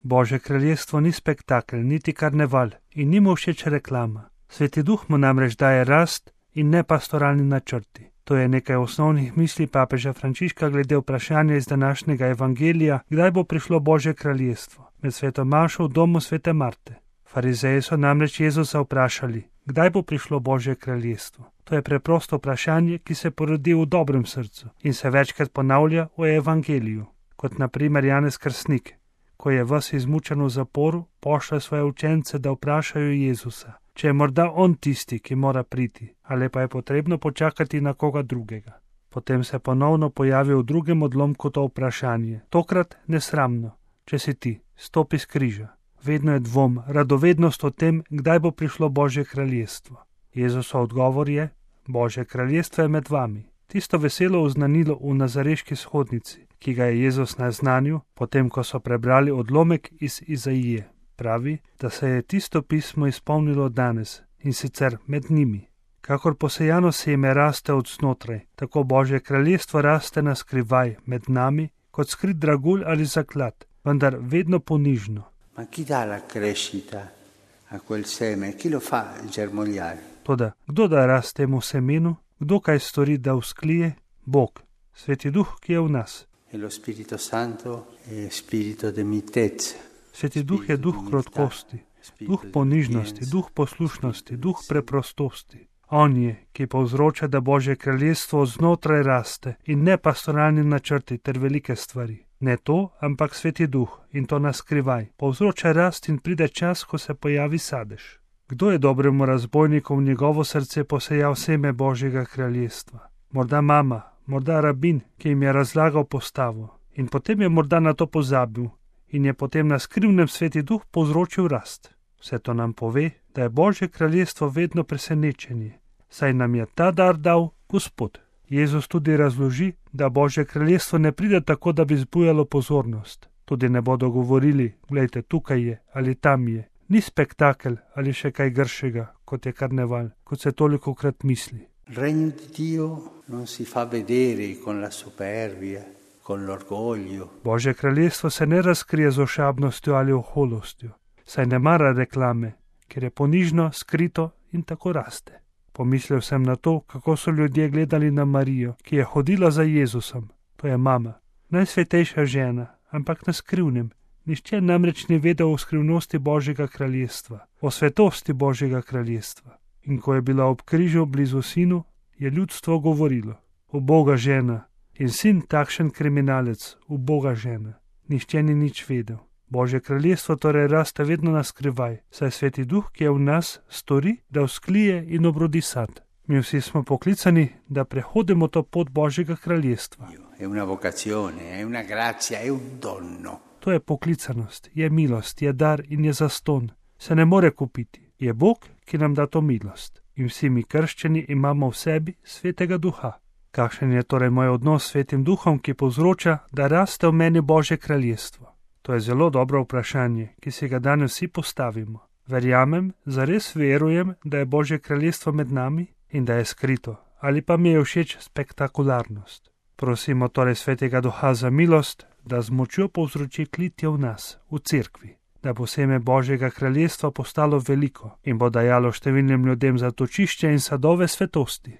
Božje kraljestvo ni spektakel, niti karneval in ni mu všeč reklama. Sveti Duh mu namreč daje rast in ne pastoralni načrti. To je nekaj osnovnih misli papeža Frančiška glede vprašanja iz današnjega evangelija, kdaj bo prišlo Božje kraljestvo, med sveto mašo v domu svete Marte. Farizeji so namreč Jezusa vprašali, kdaj bo prišlo Božje kraljestvo. To je preprosto vprašanje, ki se porodi v dobrem srcu in se večkrat ponavlja v evangeliju, kot na primer Janez Krstnik, ko je ves izmučen v zaporu, pošlje svoje učence, da vprašajo Jezusa, če je morda on tisti, ki mora priti, ali pa je potrebno počakati na koga drugega. Potem se ponovno pojavi v drugem odlomku to vprašanje, tokrat nesramno, če si ti, stopi s križa. Vedno je dvom, radovednost o tem, kdaj bo prišlo Božje kraljestvo. Jezusov odgovor je, Božje kraljestvo je med vami. Tisto veselo oznanilo v nazareški shodnici, ki ga je Jezus naznanil, potem ko so prebrali odlomek iz Izaije. Pravi, da se je tisto pismo izpolnilo danes in sicer med njimi. Kakor posejano seme raste od znotraj, tako Božje kraljestvo raste na skrivaj med nami, kot skrit dragulj ali zaklad, vendar vedno ponižno. Ma chi dà la crescita a quel seme? Chi lo fa germogliare? Toda, kdo da rast temu semenu? Kdo kaj stori, da vzklije? Bog, Sveti Duh, ki je v nas. E lo Spirito Santo è spirito de mitezza. Sveti Duh je duh krotkosti, duh ponižnosti, duh poslušnosti, duh preprostosti. On je, ki povzroča, da Božje kraljestvo znotraj raste in ne pastoralni načrti ter velike stvari. Ne to, ampak Sveti Duh in to naskrivaj. Povzroča rast in pride čas, ko se pojavi sadež. Kdo je dobremu razbojniku v njegovo srce posejal seme Božjega kraljestva? Morda mama, morda rabin, ki jim je razlagal postavo. In potem je morda na to pozabil in je potem na skrivnem Sveti Duh povzročil rast. Vse to nam pove, da je Božje kraljestvo vedno presenečenje, saj nam je ta dar dal Gospod. Jezus tudi razloži, da Božje kraljestvo ne pride tako, da bi zbujalo pozornost. Tudi ne bodo govorili, glejte, tukaj je ali tam je. Ni spektakel ali še kaj gršega, kot je karneval, kot se tolikokrat misli. Regno di Dio non si fa vedere con la superbia, con l'orgoglio. Božje kraljestvo se ne razkrije z ošabnostjo ali oholostjo, saj ne mara reklame, ker je ponižno, skrito in tako raste. Pomislil sem na to, kako so ljudje gledali na Marijo, ki je hodila za Jezusom. To je mama, najsvetejša žena, ampak na skrivnem. Nihče namreč ni vedel o skrivnosti Božjega kraljestva, o svetosti Božjega kraljestva. In ko je bila ob križu blizu sinu, je ljudstvo govorilo: uboga žena, in sin takšen kriminalec, uboga žena. Nihče ni nič vedel. Božje kraljestvo torej raste vedno na skrivaj, saj Sveti Duh, ki je v nas, stori, da vzklije in obrodi sad. Mi vsi smo poklicani, da prehodimo to pot Božjega kraljestva. È una vocazione, è una grazia, è un dono. To je poklicanost, je milost, je dar in je zaston. Se ne more kupiti. Je Bog, ki nam da to milost. In vsi mi krščeni imamo v sebi Svetega Duha. Kakšen je torej moj odnos s Svetim Duhom, ki povzroča, da raste v meni Božje kraljestvo? To je zelo dobro vprašanje, ki si ga danes vsi postavimo. Verjamem, zares verujem, da je Božje kraljestvo med nami in da je skrito, ali pa mi je všeč spektakularnost. Prosimo torej Svetega Duha za milost, da z močjo povzroči klitje v nas, v cerkvi, da bo seme Božjega kraljestva postalo veliko in bo dajalo številnim ljudem zatočišče in sadove svetosti.